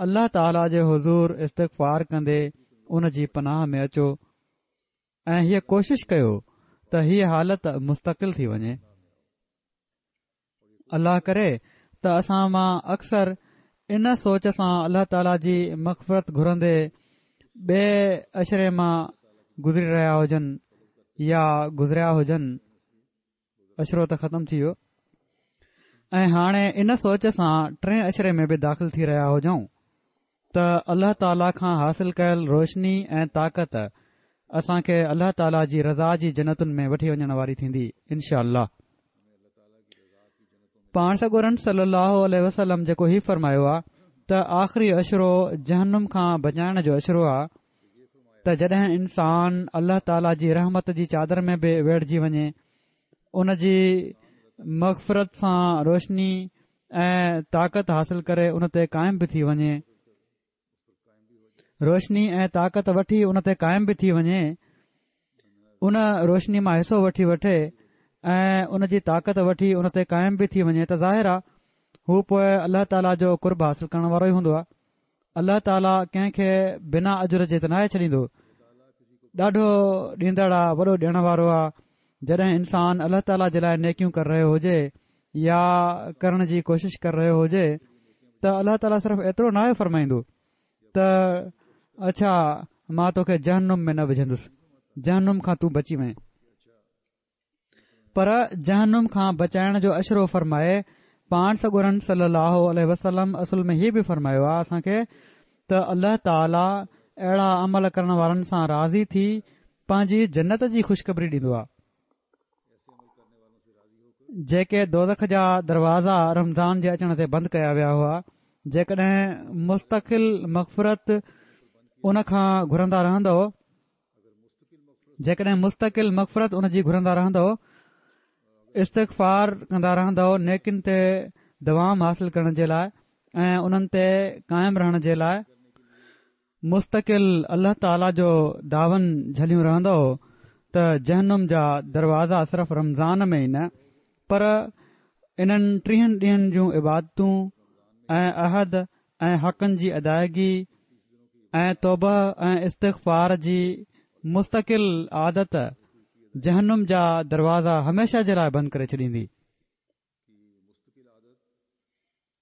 الله تعاليٰ جي حضور استغفار ڪندي ان جي پناهه ۾ اچو ۽ هيء ڪوشش ڪيو ته هيء حالت مستقل ٿي وڃي. الله ڪري ته اسان مان اڪثر ان سوچ سان الله تعاليٰ جي مغفرت گهرندي ٻئي عشري مان گذري رهيا هجن يا گذريا هجن. عشرو ته ختم ٿي ويو ۽ هاڻي ان سوچ سان ٽئين عشري ۾ به داخل ٿي رهيا هجون ته الله تعاليٰ کان حاصل ڪيل روشني ۽ طاقت اسان کي الله تعاليٰ جي رضا جي جنتن ۾ وٺي وڃڻ واري ٿيندي انشاء الله پاڻ سڳورن صلي الله عليه وسلم جيڪو هي فرمايو آ ته آخري عشرو جهنم کان بچائڻ جو عشرو آ ته جڏهن انسان الله تعاليٰ جي رحمت جي چادر ۾ به ويڙهجي وڃي ان جي مغفرت سان روشني ۽ طاقت حاصل ڪري ان تي قائم به ٿي وڃي روشني ۽ طاقت وٺي ان تي قائم به ٿي وڃي ان روشني مان حصو وٺي وٺي ۽ ان جي طاقت وٺي ان تي قائم به ٿي وڃي ته ظاهر آ هو پوء الله تعاليٰ جو قرب حاصل ڪرڻ وارو ئي هوندو آ الله تعاليٰ ڪنهن کي بنا اجر جي ته ناهي ڇڏيندو ڏاڍو ڏيندڙ آ وڏو ڏيڻ وارو آ جڏهن انسان الله تعاليٰ جي لاء نيڪيون ڪري رهيو هجي يا ڪرڻ جي ڪوشش ڪري رهيو هجي ته الله تعاليٰ صرف ايترو ناهي فرمائيندو ته اڇا مان توکي جهنم ۾ نه وجهندس جهنم کان تون بچي وئين پر جهنم کان بچائڻ جو عشرو فرمائي پاڻ سڳورن صلي الله عليه وسلم اصل ۾ هي به فرمايو آهي اسان کي ته الله تعالي اهڙا عمل ڪرڻ وارن سان راضي ٿي پنهنجي جنت جي خوشخبري ڏيندو آهي. جيڪي دوزخ جا دروازا رمضان جي اچڻ تي بند ڪيا ويا هئا، جيڪڏهن مستقل مغفرت ان کان گهرندا رهندؤ، جيڪڏهن مستقل مغفرت ان جي گهرندا رهندؤ، استغفار ڪندا رهندؤ، نيڪين تي دوام حاصل ڪرڻ جي لاء ۽ انهن تي قائم رهڻ جي لاء مستقل الله تعاليٰ جو داون جهليون رهندؤ ته جهنم جا دروازا صرف رمضان ۾ ئي نه پر انهن ٽيهن ڏينهن جون عبادتون ۽ عهد ۽ حقن جي ادائگي ۽ توبه ۽ استغفار جي مستقل عادت جهنم جا دروازا هميشه جي لاء بند ڪري ڇڏيندي.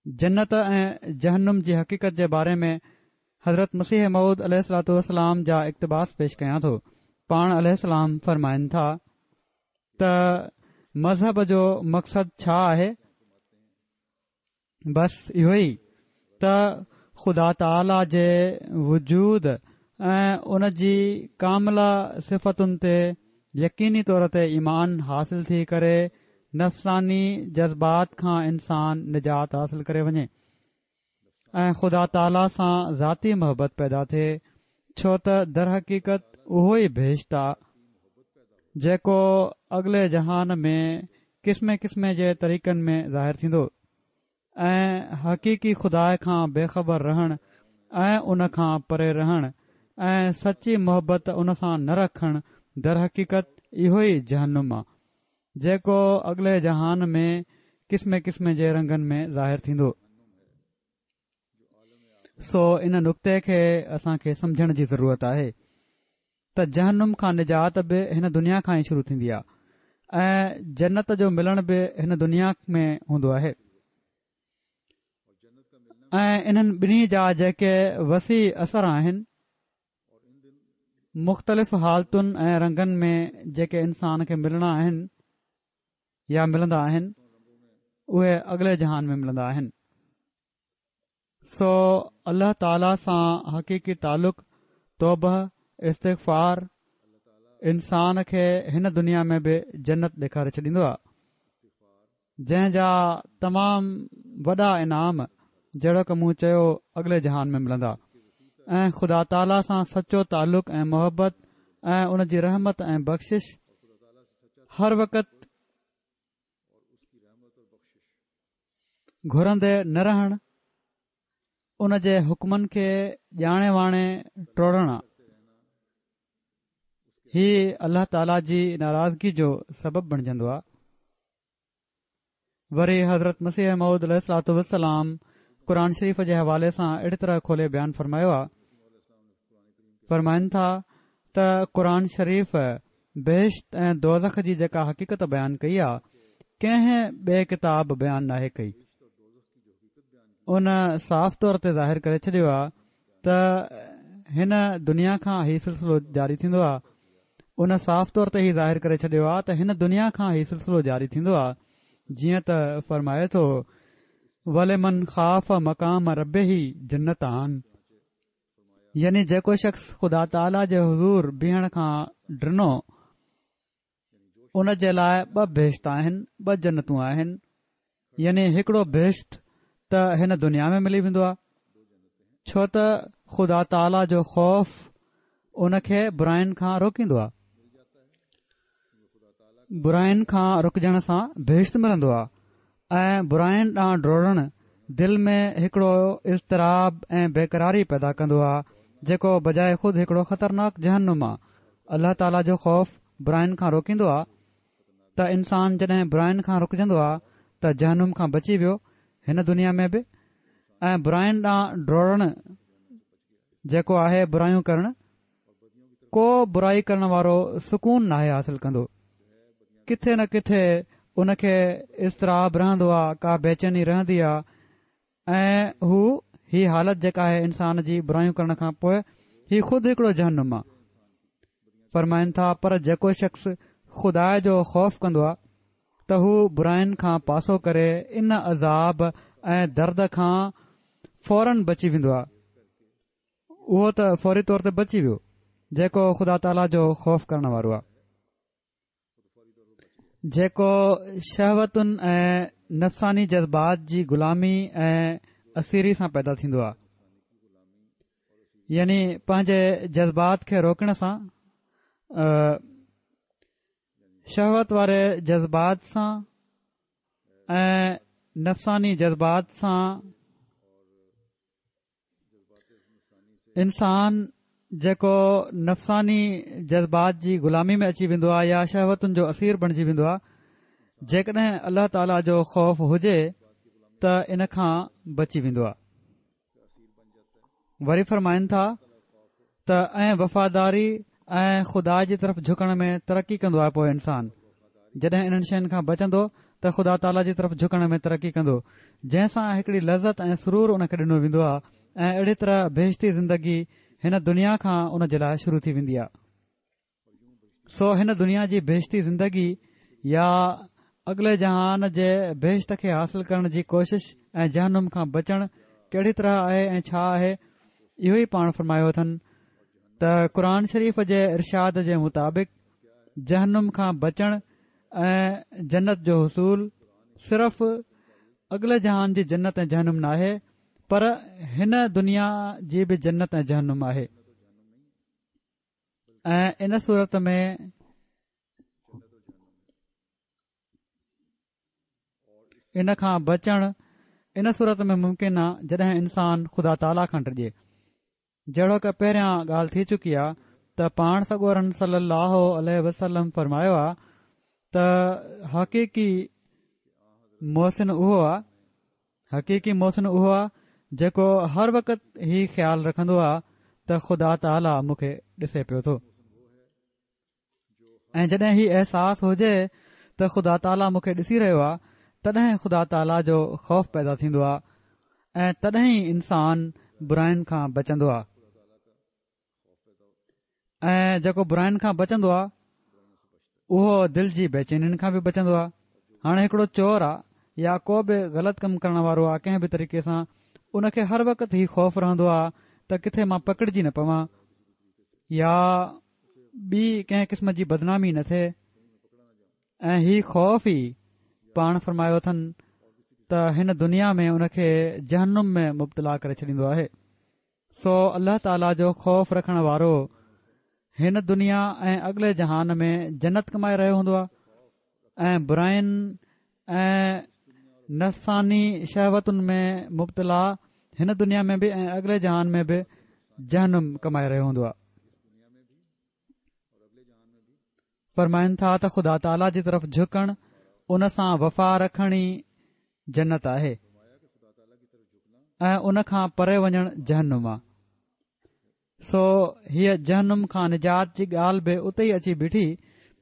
جنت ۽ جهنم جي حقيقت جي باري ۾ حضرت مسيح موعود عليه الصلوة والسلام جا اقتباس پيش ڪيان ٿو. پاڻ عليه السلام فرمائن ٿا ته مذهب جو مقصد ڇا آهي؟ بس اهو ئي ته خدا تعاليٰ جي وجود ۽ ان جي ڪامله صفتن تي يقيني طور تي ايمان حاصل ٿي ڪري نفساني جذبات کان انسان نجات حاصل ڪري وڃي ۽ خدا تعاليٰ سان ذاتي محبت پيدا ٿئي ڇو ته درحقيقت اهو ئي بهشت آ جيڪو اڳلي جهان ۾ قسمين قسمين جي طريقن ۾ ظاهر ٿيندو. ۽ حقيقي خدا کان بي خبر رهڻ ۽ ان کان پري رهڻ ۽ سچي محبت ان سان نه رکڻ درحقيقت اهو ئي جهنم آ جيڪو اڳلي جهان ۾ قسمين قسمين جي رنگن ۾ ظاهر ٿيندو. سو ان نقطي کي اسان کي سمجهڻ جي ضرورت آهي ته جهنم کان نجات به هن دنيا کان ئي شروع ٿيندي آ ۽ جنت جو ملڻ به هن دنيا ۾ هوندو آهي ۽ انهن ٻنهي جا جيڪي وسيع اثر آهن مختلف حالتن ۽ رنگن ۾ جيڪي انسان کي ملڻا آهن يا ملندا آهن اهي اڳلي جهان ۾ ملندا آهن سو الله تعاليٰ سان حقيقي تعلق توبه استغفار انسان کي هن دنيا ۾ به جنت ڏيکاري ڇڏيندو آهي جنهن جا تمام وڏا انعام جهڙوڪ مون چيو اڳلي جهان ۾ ملندا ۽ خدا تعاليٰ سان سچو تعلق ۽ محبت ۽ ان جي رحمت ۽ بخشش هر وقت گهرندي نه رهڻ ان جي حڪمن کي ڄاڻي واڻي ٽوڙڻ آ هي الله تعاليٰ جي ناراضگي جو سبب بڻجندو آ وري حضرت مسيح موعود عليه الصلوة والسلام قرآن شريف جي حوالي سان اهڙي طرح کولي بيان فرمايو آهي فرمائن ٿا ته قرآن شريف بهشت ۽ دوزخ جي جيڪا حقيقت بيان ڪئي آهي ڪنهن ٻئي ڪتاب بيان ناهي ڪئي ان صاف طور تي ظاهر ڪري ڇڏيو آهي ته هن دنيا کان هي سلسلو جاري ٿيندو آهي ان صاف طور تي هي ظاهر ڪري ڇڏيو آهي ته هن دنيا کان هي سلسلو جاري ٿيندو آهي جيئن ته فرمائي ٿو ولمن خاف مقام ربه جنتان يعني جيڪو شخص خدا تعاليٰ جي حضور بيهڻ کان ڊنو ان جي لاء ٻه بهشت آهن، ٻه جنتون آهن، يعني هڪڙو بهشت ته هن دنيا ۾ ملي ويندو آهي، ڇو ته خدا تعاليٰ جو خوف ان کي براين کان روڪيندو آهي، براين کان رڪجڻ سان بهشت ملندو آهي ۽ براين ڏانهن ڊوڙڻ دل ۾ هڪڙو اضطراب ۽ بيقراري پيدا ڪندو آهي جيڪو بجاء خود هڪڙو خطرناڪ جهنم آهي. الله تعاليٰ جو خوف براين کان روڪيندو آهي ته انسان جڏهن براين کان رڪجندو آهي ته جهنم کان بچي ويو هن دنيا ۾ به ۽ براين ڏانهن ڊوڙڻ جيڪو آهي برايون ڪرڻ ڪو برائي ڪرڻ وارو سڪون ناهي حاصل ڪندو ڪٿي نه ڪٿي ان کي اضطراب رهندو آ ڪا بيچيني رهندي آ ۽ هو هي حالت جيڪا آهي انسان جي برايون ڪرڻ کان پوء هي خود هڪڙو جهنم آ فرمائن ٿا پر جيڪو شخص خدا جو خوف ڪندو آ ته هو براين کان پاسو ڪري ان عذاب ۽ درد کان فورن بچي ويندو آ اهو ته فوري طور تي بچي ويو جيڪو خدا تعاليٰ جو خوف ڪرڻ وارو آهي. جيڪو شهوتن ۽ نفساني جذبات جي غلامي ۽ اسيري سان پيدا ٿيندو آهي، يعني پنهنجي جذبات کي روڪڻ سان، شهوت واري جذبات سان ۽ نفساني جذبات سان انسان جيڪو نفساني جذبات جي غلامي ۾ اچي ويندو آهي يا شهوتن جو اسير بڻجي ويندو آهي، جيڪڏهن الله تعاليٰ جو خوف هجي ته ان کان بچي ويندو آهي. وري فرمائن ٿا ته ۽ وفاداري ۽ خدا جي طرف جهڪڻ ۾ ترقي ڪندو آهي پوء انسان جڏهن انهن شين کان بچندو ته خدا تعاليٰ جي طرف جهڪڻ ۾ ترقي ڪندو، جنهن سان هڪڙي لذت ۽ سرور ان کي ڏنو ويندو آهي ۽ اهڙي طرح بهشتي زندگي هن دنيا کان ان جي لاء شروع ٿي ويندي آهي. سو هن دنيا جي بهشتي زندگي يا اڳلي جهان جي بهشت کي حاصل ڪرڻ جي ڪوشش ۽ جهنم کان بچڻ ڪهڙي طرح آهي ۽ ڇا آهي، اهو ئي پاڻ فرمايو اٿن ته قرآن شريف جي ارشاد جي مطابق جهنم کان بچڻ ۽ جنت جو حصول صرف اڳلي جهان جي جنت ۽ جهنم ناهي پر هن دنيا جي به جنت ۽ جهنم آهي. ۽ ان صورت ۾ ان کان بچڻ ان صورت ۾ ممڪن آ جڏهن انسان خدا تعاليٰ کان ڊڄي. جهڙوڪ پهريان ڳالهه ٿي چڪي آ ته پاڻ سڳورن صلي الله عليه وسلم فرمايو آ ته حقيقي محسن اهو آ حقيقي محسن اهو آ جيڪو هر وقت هي خيال رکندو آ ته خدا تعاليٰ مون کي ڏسي پيو ٿو ۽ جڏهن هي احساس هجي ته خدا تعاليٰ مون کي ڏسي رهيو آ تڏهن خدا تعاليٰ جو خوف پيدا ٿيندو آ ۽ تڏهن ئي انسان براين کان بچندو آ. ۽ جيڪو براين کان بچندو آهي اهو دل جي بيچينين کان به بچندو آهي. هاڻي هڪڙو چور آ يا ڪو به غلط ڪم ڪرڻ وارو آ ڪنهن به طريقي سان ان کي هر وقت هي خوف رهندو آ ته ڪٿي مان پڪڙجي نه پوان يا ٻي ڪنهن قسم جي بدنامي نه ٿئي ۽ هي خوف ئي پاڻ فرمايو اٿن ته هن دنيا ۾ ان کي جهنم ۾ مبتلا ڪري ڇڏيندو آهي. سو الله تعاليٰ جو خوف رکڻ وارو هن دنيا ۽ اڳلي جهان ۾ جنت ڪمائي رهيو هوندو آهي ۽ براين ۽ نفساني شهوتن ۾ مبتلا هن دنيا ۾ به ۽ اڳلي جهان ۾ به جهنم ڪمائي رهيو هوندو آهي. فرمائن ٿا ته خدا تعاليٰ جي طرف جهڪڻ ان سان وفا رکڻ ئي جنت آهي ۽ ان کان پري وڃڻ جهنم آ. سو هيء جهنم کان نجات جي ڳالهه به اتي ئي اچي بيٺي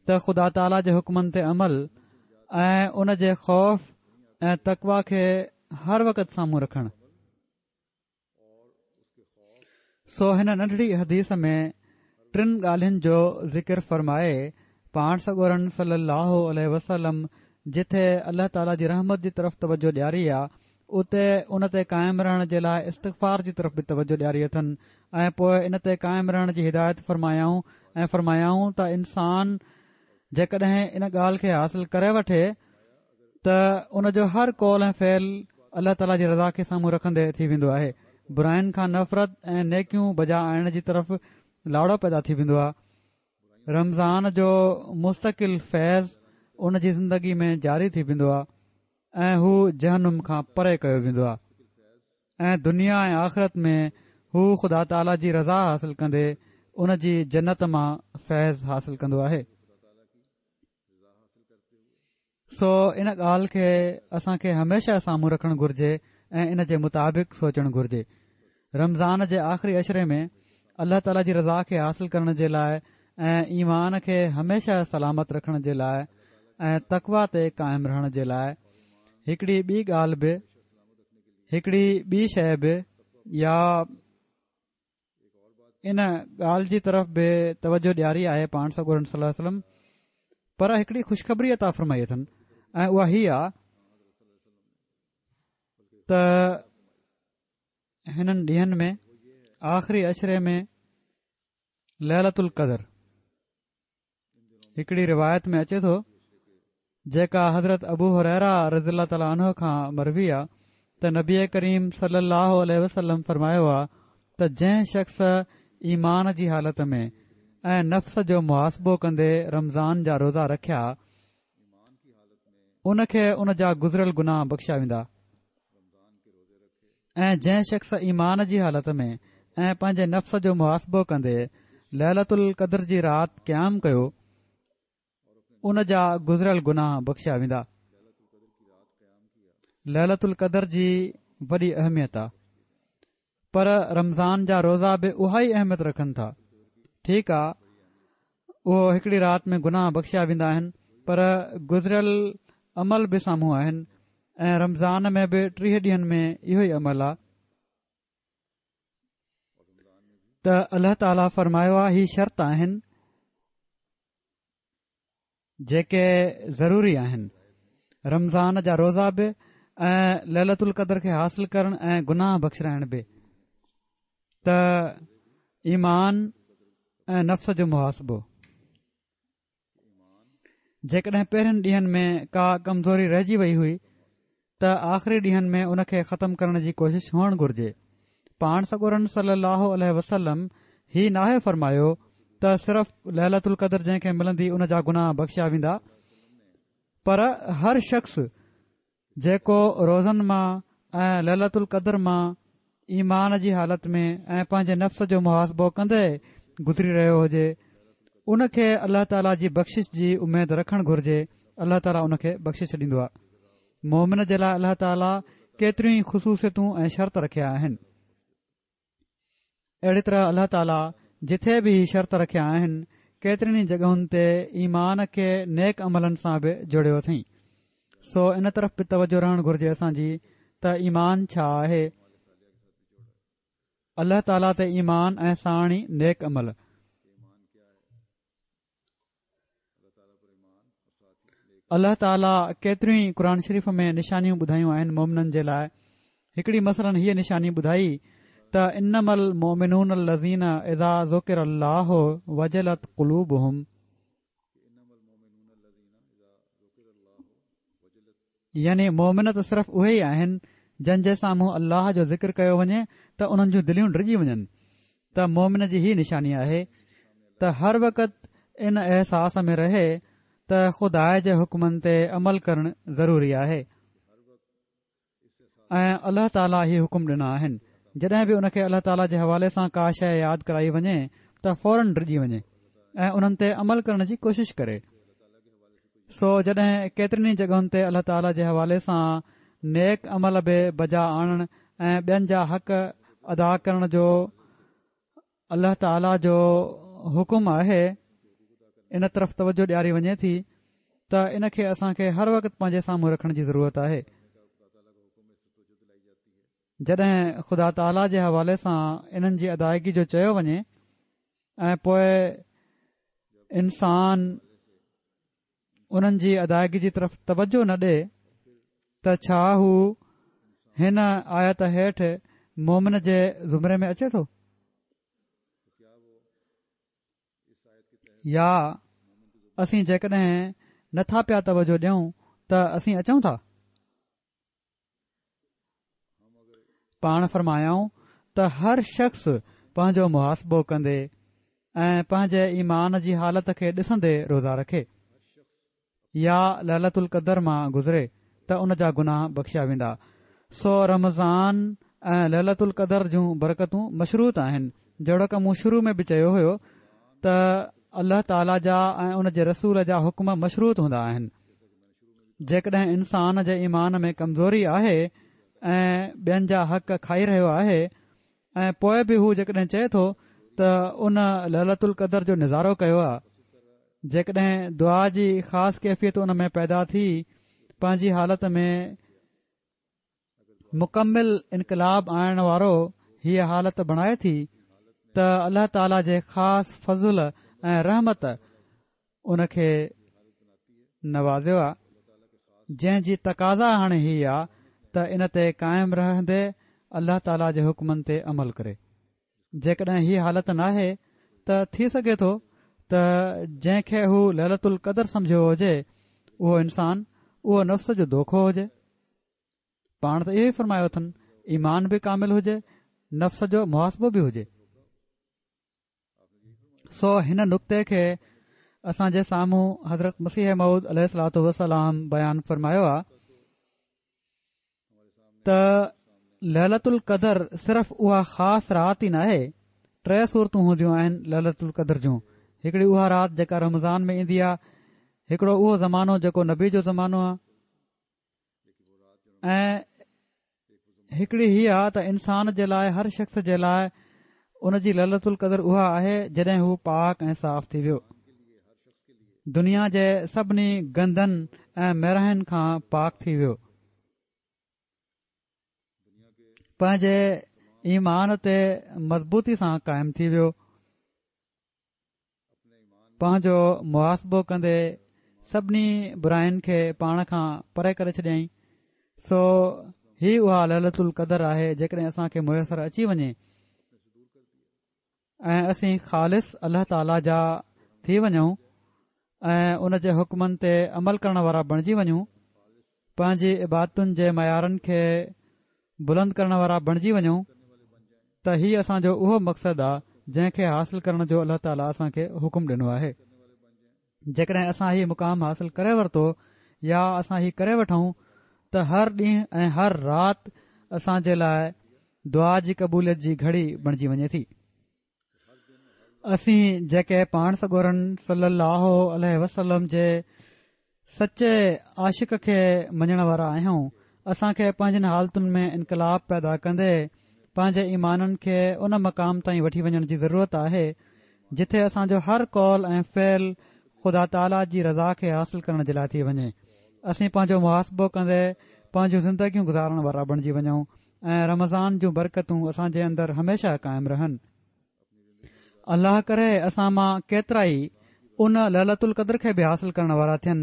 ته خدا تعاليٰ جي حڪمن تي عمل ۽ ان جي خوف ۽ تقويٰ کي هر وقت سامهون رکڻ. سو هن ننڍڙي حديث ۾ ٽن ڳالهين جو ذڪر فرمائي پاڻ سڳورن صلي الله عليه وسلم جٿي الله تعاليٰ جي رحمت جي طرف توجه ڏياري آ اتي ان تي قائم رهڻ جي لاء استغفار جي طرف به توجه ڏياري اٿن ۽ پوء ان تي قائم رهڻ جي هدايت فرمايائون ۽ فرمايائون ته انسان جيڪڏهن ان ڳالهه کي حاصل ڪري وٺي ته ان جو هر قول ۽ فعل الله تعاليٰ جي رضا کي سامهون رکندي ٿي ويندو آهي. براين کان نفرت ۽ نيڪيون بجا آڻڻ جي طرف لاڙو پيدا ٿي ويندو آهي. رمضان جو مستقل فيض ان جي زندگي ۾ جاري ٿي ويندو آهي ۽ هو جهنم کان پري ڪيو ويندو آهي ۽ دنيا ۽ آخرت ۾ هو خدا تعاليٰ جي رضا حاصل ڪندي ان جي جنت مان فيض حاصل ڪندو آهي. سو ان ڳالهه کي اسان کي هميشه سامهون رکڻ گهرجي ۽ ان جي مطابق سوچڻ گهرجي. رمضان جي آخري عشري ۾ الله تعاليٰ جي رضا کي حاصل ڪرڻ جي لاء ۽ ايمان کي هميشه سلامت رکڻ جي لاء ۽ تقويٰ تي قائم رهڻ جي لاء هڪڙي ٻي ڳالهه به هڪڙي ٻي شيء به يا ان ڳالهه جي طرف به توجه ڏياري آهي پاڻ سڳورن صلي الله عليه وسلم پر هڪڙي خوشخبري عطا فرمائي اٿن ۽ اها هي آ ته هنن ڏينهن ۾ آخري عشري ۾ ليلة القدر هڪڙي روايت ۾ اچي ٿو. جيڪا حضرت ابو هريره رضي الله تعالٰي عنه کان مروي آ ته نبي ڪريم صلي الله عليه وسلم فرمايو آ ته جنهن شخص ايمان جي حالت ۾ ۽ نفس جو محاسبو ڪندي رمضان جا روزا رکيا ان کي ان جا گذريل گناهه بخشيا ويندا ۽ جنهن شخص ايمان جي حالت ۾ ۽ پنهنجي نفس جو محاسبو ڪندي ليلة القدر جي رات قيام ڪيو ان جا گذريل گناهه بخشيا ويندا. ليلة القدر جي وڏي اهميت آ پر رمضان جا روزا به اها ئي اهميت رکن ٿا. ٺيڪ آ اهو هڪڙي رات ۾ گناهه بخشيا ويندا آهن پر گذريل عمل به سامهون آهن ۽ رمضان ۾ به 30 ڏينهن ۾ اهو ئي عمل آ. ته الله تعاليٰ فرمايو آ هي شرط آهن جيڪي ضروري آهن رمضان جا روزا به ۽ ليلة القدر کي حاصل ڪرڻ ۽ گناهه بخشرائڻ به ته ايمان ۽ نفس جو محاسبو جيڪڏهن پهرين ڏينهن ۾ ڪا ڪمزوري رهجي وئي هئي ته آخري ڏينهن ۾ ان کي ختم ڪرڻ جي ڪوشش هئڻ گهرجي. پاڻ سڳورن صلي الله عليه وسلم هي ناهي فرمايو ته صرف ليلة القدر جنهن کي ملندي ان جا گناهه بخشيا ويندا پر هر شخص جيڪو روزن مان ۽ ليلة القدر مان ايمان جي حالت ۾ ۽ پنهنجي نفس جو محاسبو ڪندي گذري رهيو هجي ان کي الله تعاليٰ جي بخشش جي اميد رکڻ گهرجي الله تعاليٰ ان کي بخشي ڇڏيندو آهي مومن جي لاء الله تعاليٰ ڪيتريون ئي خصوصيتون ۽ شرط رکيا آهن اهڙي طرح الله تعاليٰ جٿي به هي شرط رکيا آهن ڪيترين ئي جڳهن تي ايمان کي نيڪ عملن سان به جوڙيو اٿئين سو ان طرف به توجه رهڻ گهرجي اسان جي ته ايمان ڇا آهي الله تعاليٰ تي ايمان ۽ ساڻ ئي نيڪ عمل الله تعاليٰ ڪيتريون ئي قرآن شريف ۾ نشانيون ٻڌايون آهن مومنن جي لاء هڪڙي مثلاً هيء نشاني ٻڌائي ته انما المؤمنون الذين اذا ذڪر الله وجلت قلوبهم يعني مؤمن ته صرف اهي ئي آهن جن جي سامهون الله جو ذڪر ڪيو وڃي ته انهن جون دليون ڊڄي وڃن ته مؤمن جي هي نشاني آهي ته هر وقت ان احساس ۾ رهي ته خدا جي حڪمن تي عمل ڪرڻ ضروري آهي ۽ الله تعاليٰ هي حڪم ڏنا آهن جڏهن به ان کي الله تعاليٰ جي حوالي سان ڪا شيء ياد ڪرائي وڃي ته فورن ڊڄي وڃي ۽ انهن تي عمل ڪرڻ جي ڪوشش ڪري سو جڏهن ڪيترين ئي جڳهن تي الله تعاليٰ جي حوالي سان نيڪ عمل به بجا آڻڻ ۽ ٻين جا حق ادا ڪرڻ جو الله تعاليٰ جو حڪم آهي ان طرف توجه ڏياري وڃي ٿي ته ان کي اسان کي هر وقت پنهنجي سامهون رکڻ جي ضرورت آهي جڏهن خدا تعاليٰ جي حوالي سان انهن جي ادائگي جو چيو وڃي ۽ پوء انسان انهن جي ادائگي جي طرف توجه نه ڏي ته ڇا هو هن آيت هيٺ مومن جي زمري ۾ اچي ٿو يا اسين جيڪڏهن نٿا پيا توجه ڏيون ته اسين اچون ٿا پاڻ فرمايائون ته هر شخص پنهنجو محاسبو ڪندي ۽ پنهنجي ايمان جي حالت کي ڏسندي روزا رکي يا ليلة القدر مان گذري ته ان جا گناهه بخشيا ويندا سو رمضان ۽ ليلة القدر جون برڪتون مشروط آهن جهڙوڪ مون شروع ۾ به چيو هيو ته الله تعاليٰ جا ۽ ان جي رسول جا حڪم مشروط هوندا آهن جيڪڏهن انسان جي ايمان ۾ ڪمزوري آهي ۽ ٻين جا حق کائي رهيو آهي ۽ پوء به هو جيڪڏهن چئي ٿو ته ان ليلة القدر جو نظارو ڪيو آهي جيڪڏهن دعا جي خاص ڪيفيت ان ۾ پيدا ٿي پنهنجي حالت ۾ مڪمل انقلاب آڻڻ وارو هيء حالت بڻائي ٿي ته الله تعاليٰ جي خاص فضل ۽ رحمت ان کي نوازيو آ جنهن جي تقاضا هاڻي هي آ ته ان تي قائم رهندي الله تعاليٰ جي حڪمن تي عمل ڪري جيڪڏهن هي حالت ناهي ته ٿي سگهي ٿو ته جنهن کي هو ليلة القدر سمجهيو هجي اهو انسان اهو نفس جو دوکو هجي. پاڻ ته اهو ئي فرمايو اٿن، ايمان به ڪامل هجي، نفس جو محاسبو به هجي. سو هن نڪتي کي اسان جي سامهون حضرت مسيح موعود عليه الصلوة والسلام بيان فرمايو آ ته ليلة القدر صرف اها خاص رات ئي ناهي، ٽي صورتون هونديون آهن ليلة القدر جون، هڪڙي اها رات جيڪا رمضان ۾ ايندي آ، هڪڙو اهو زمانو جيڪو نبي جو زمانو آ ۽ هڪڙي هي آ ته انسان جي لاء هر شخص جي لاء ان جي ليلة القدر اها آهي جڏهن هو پاڪ ۽ صاف ٿي ويو. دنيا جي سڀني گندن ۽ ميراين کان پاڪ ٿي ويو. پنهنجي ايمان تي مضبوطي سان قائم ٿي ويو. پنهنجو محاسبو ڪندي سڀني براين کي پاڻ کان پري ڪري ڇڏيائين. سو هي اها ليلة القدر آهي جيڪڏهن اسان کي ميسر اچي وڃي ۽ اسين خالص الله تعاليٰ جا ٿي وڃون ۽ ان جي حڪمن تي عمل ڪرڻ وارا بڻجي وڃون، پنهنجي عبادتن جي معيارن کي بلند ڪرڻ وارا بڻجي وڃون ته هي اسان جو اهو مقصد آ جنهن کي حاصل ڪرڻ جو الله تعاليٰ اسان کي حڪم ڏنو آهي. جيڪڏهن اسان هي مقام حاصل ڪري ورتو يا اسان هي ڪري وٺون ته هر ڏينهن ۽ هر رات اسان جي لاء دعا جي قبوليت جي گهڙي بڻجي وڃي ٿي. اسين جيڪي پاڻ سڳورن صلي الله عليه وسلم جي سچي عاشق کي مڃڻ وارا آهيون، اسان کي پنهنجين حالتن ۾ انقلاب پيدا ڪندي پنهنجي ايمانن کي ان مقام تائين وٺي وڃڻ جي ضرورت آهي جتي اسان جو هر قول ۽ فعل خدا تعاليٰ جي رضا کي حاصل ڪرڻ جي لاء ٿي وڃي. اسين پنهنجو محاسبو ڪندي پنهنجون زندگيون گذارڻ وارا بڻجي وڃون ۽ رمضان جون برڪتون اسان جي اندر هميشه قائم رهن. الله ڪري اسان مان ڪيترائي ان ليلة القدر کي به حاصل ڪرڻ وارا ٿين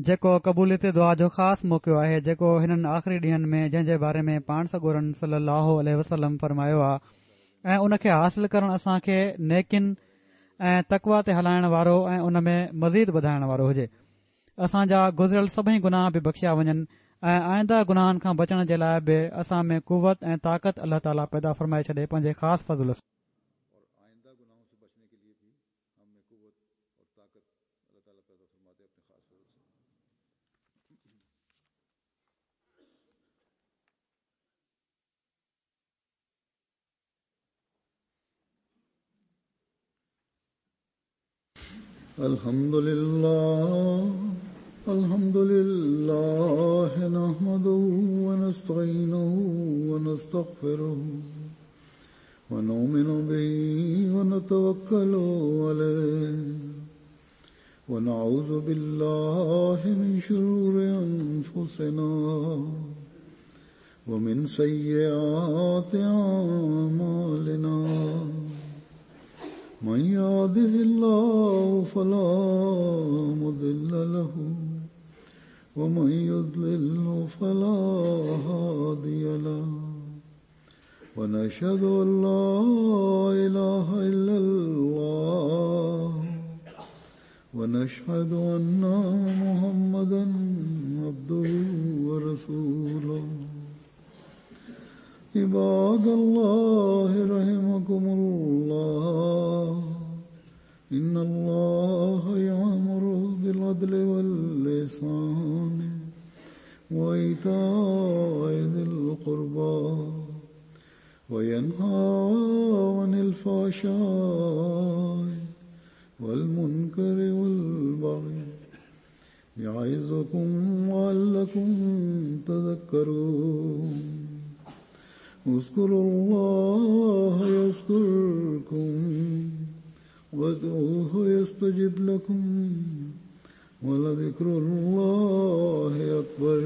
جيڪو قبوليت دعا جو خاص موقعو آهي جيڪو هنن آخري ڏينهن ۾ جنهن جي باري ۾ پاڻ سڳورن صلي الله عليه وسلم فرمايو آ ۽ ان کي حاصل ڪرڻ اسان کي نيڪين ۽ تقويٰ تي هلائڻ وارو ۽ ان ۾ مزيد وڌائڻ وارو هجي اسان جا گذريل سڀئي گناهه به بخشيا وڃن ۽ آئنده گناهن کان بچڻ جي لاء به اسان ۾ قوت ۽ طاقت الله تعاليٰ پيدا فرمائي ڇڏي پنهنجي خاص فضل سان. الحمد لله الحمد لله نحمده ونستعينه ونستغفره ونؤمن به ونتوكل عليه ونعوذ بالله من شرور أنفسنا ومن سيئات أعمالنا من يهده الله فلا مضل له ومن يضلل فلا هادي له ونشهد أن لا إله إلا الله ونشهد أن محمدا عبده ورسوله عباد الله رحمكم الله إن الله يأمر بالعدل واللسان وإيتاء ذي القربى وينهى عن الفحشاء والمنكر والبغي يعظكم لعلكم تذكرون اذكروا الله يذكركم وادعوه يستجب لكم ولذكر الله أكبر.